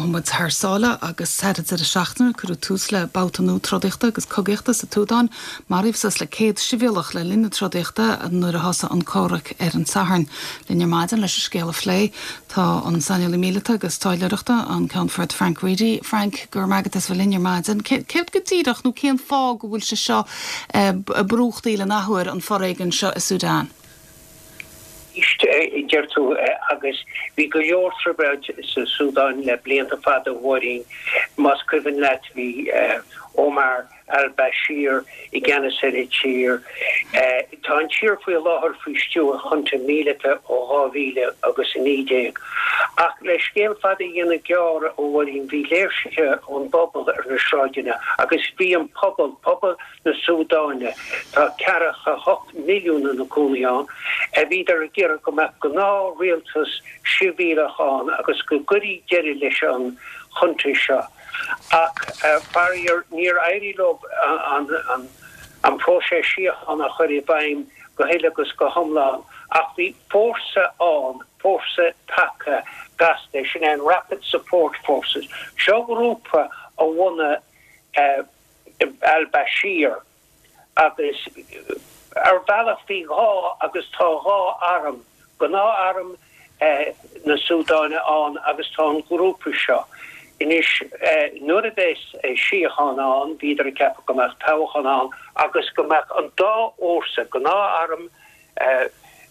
Gabhfaidh muid thar sáile agus thar an deireadh seachtaine cuireadh tús le babhta nua trodaíochta agus cogaíochta sa tSúdáin. Maraíodh suas le 100 sibhialach le linn na trodaíochta nuair a thosaigh an comhrac ar an Satharn. Linn ar maidin leis an scéal a phlé tá an saineolaí míleata agus taidhleoireachta, an Ceannfort Frank Reidy. Frank, go raibh maith agat as bheith linn ar maidin. Céard go díreach nó cén fáth go bhfuil sé seo ag brúchtaíl an athuair, an foréigean seo i Sudan? Éist, a deir tú, agus bhí go leor trioblóid sa Súdáin le blianta fada, a Mháirín. Más cuimhin leat, bhí Omar al-Bashir i gceannas ar an tír. Tá an tír faoi láthair faoi stiúir junta míleata ó 2000 agus 19. Ach le scéal fada a dhéanamh gearr, a Mháirín, bhí léirsithe ón bpobal ar na sráideanna agus bhí an pobal, pobal na Súdáine, tá ceathracha 8 milliún ina gcónaí ann, a bhíodar ag iarraidh go mbeadh gnáth-rialtas sibhialach ann agus go gcuirfí deireadh leis an junta seo. Ach, faraor, níor éirigh leo an próiseas síochána a chur i bhfeidhm go huile agus go hiomlán. Ach bhí fórsa ann, fórsa taca gasta, sin é an Rapid Support Forces. Seo grúpa a bhunaigh al-Bashir agus ar bhealach bhí dhá agus tá dhá arm, gnáth-arm na Súdáine ann agus tá an grúpa seo. Anois nuair a bheas síocháin ann, bhíodar ag ceapadh go mbeadh toghchán ann agus go mbeadh an dá fhórsa, gnáth-arm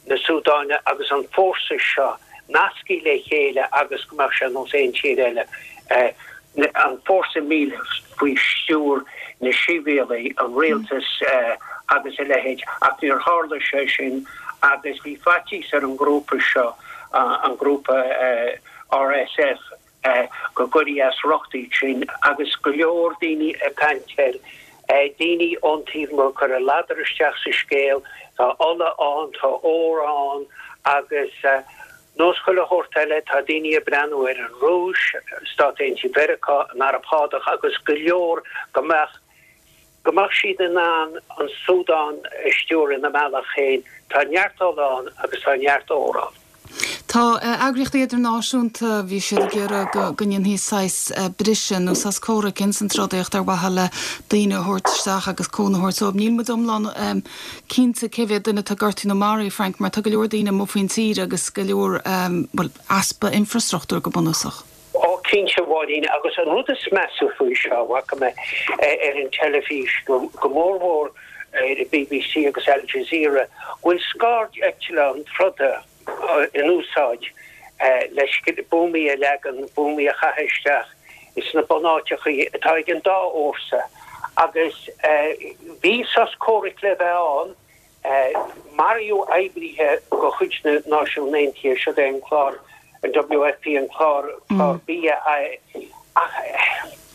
na Súdáine agus an fórsa seo nasctha le chéile agus go mbeadh sé ar nós aon tír eile, an fórsa míleata faoi stiúir na sibhialaigh, an rialtas agus a leithéid. Ach níor tharla sé sin agus bhí faitíos ar an ngrúpa seo, an grúpa RSF, go gcuirfí as riocht iad sin agus go leor daoine ag caint air, daoine ón taobh amuigh ag cur a ladar isteach sa scéal, tá ola ann, tá ór ann agus nós chuile shórt eile, tá daoine ag breathnú ar an Rúis, Stáit Aontaithe Mheiriceá, an Araib Shádach agus go leor go mbeadh go mbeadh siad in ann an Súdán a stiúradh ina mbealach féin. Tá neart ola ann agus tá neart ór ann. Tá eagraíochtaí idirnáisiúnta, bhí siad ag iarraidh go go ndéanfaí saghas briseadh nó sos comhraic ins an trodaíocht ar mhaithe le daoine a thabhairt isteach agus cúnamh a thabhairt dóibh. Níl muid iomlán cinnte cé mhéad duine atá gortaithe nó maraithe, Frank, mar tá go leor daoine amuigh faoin tír agus go leor, bhuel, easpa infreastruchtúir go bunúsach. Ó, cinnte, a Mháirín, agus an rud is measa faoi seo, a bhfaca mé ar an teilifís, go mórmhór ar BBC agus Al Jazeera, go bhfuil scairdeitleáin troda in úsáid le buamaí a leagan, buamaí a chaitheamh isteach sna bunáiteachaí atá ag an dá fhórsa. Agus bhí sos comhraic le bheith ann, Maraíodh oibrithe de chuid na Náisiún Aontaithe, siod é an clár, an WFP, an clár, clár bia, ach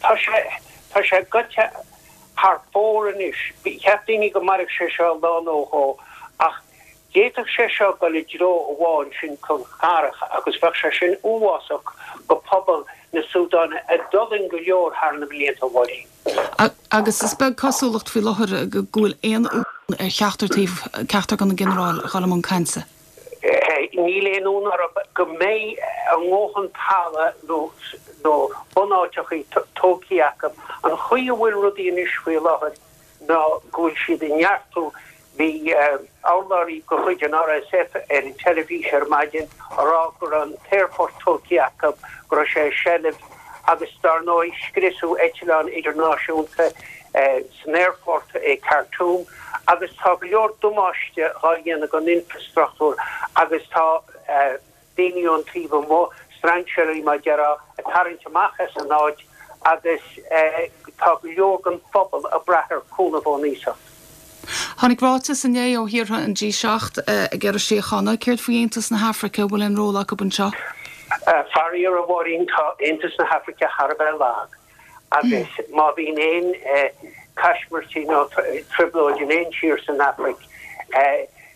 tá sé, tá sé gaibhte thar fóir anois. Cheap daoine go mairfeadh sé seo lá nó dhó ach d'fhéadfadh sé seo dul i dtreo amháin, sin chun cathrach, agus bheadh sé sin uafásach go pobal na Súdáine a d'fhulaing go leor thar na blianta, a Mháirín. Agus is beag cosúlacht faoi láthair go bhfuil aon fhonn ar cheachtar taobh, ceachtar de na ginearáil, a dhul i mbun cainte. Níl aon fhonn orthu go mbeidh a ndóthain talamh nó bunáiteachaí tógtha acu. An chaoi a bhfuil rudaí anois faoi láthair ná go bhfuil siad ag neartú Bhí urlabhraí de chuid an RSF ar an teilifís ar maidin a rá go raibh an t-aerfort tógtha acu, go raibh sé i seilbh agus dar ndóigh scriosadh eitleán idirnáisiúnta san aerfort i Khartoum agus tá go leor damáiste dhá dhéanamh don infreastruchtúr agus tá daoine ón taobh amuigh, strainséirí mar déarfá, ag tarraingt amach as an áit agus tá go leor den phobal ag brath ar chúnamh ón iasacht. Tháinig ráiteas inné ó thíortha an G7 ag iarraidh síochána. Céard faoi Aontas na hAfraice, an bhfuil aon ról acu anseo? Faraor, a Mháirín, tá Aontas na hAfraice thar a bheith lag agus má bhíonn aon caismirtí nó trioblóid in aon tír san Afraic,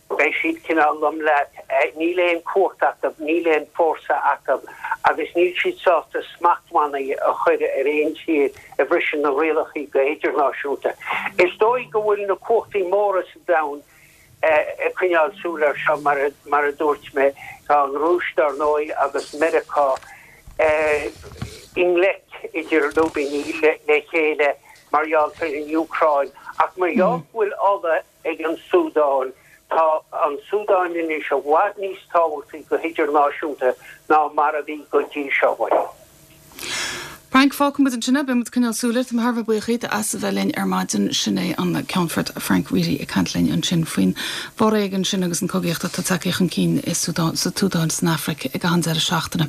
Beidh siad cineál lom leat. Níl aon chumhacht acu, níl aon fórsa acu agus níl siad sásta smachtbhannaí a chur ar aon tír a bhriseann na rialacha go hidirnáisiúnta. Is dóigh go bhfuil na cumhachtaí móra sa domhan ag coinneáil súil air seo, mar a dúirt mé. Tá an Rúis, dar ndóigh, agus Meiriceá. i ngleic idir lúibíní le chéile mar gheall ar an Úcráin ach mar gheall go bhfuil ola ag an Súdáin, tá an Súdáin anois i bhfad níos tábhachtaí go hidirnáisiúnta ná mar a bhí go dtí seo. Frank, fágfaidh muid ansin é, beidh muid ag coinneáil súil air. Tá mé thar a bheith buíoch díot as a bheith linn ar maidin. Sin é an Ceannfort Frank Reidy ag caint linn ansin faoin bhforéigean sin agus an cogaíocht atá tagtha chun cinn i sa tSúdáin, san Afraic ag an deireadh seachtaine.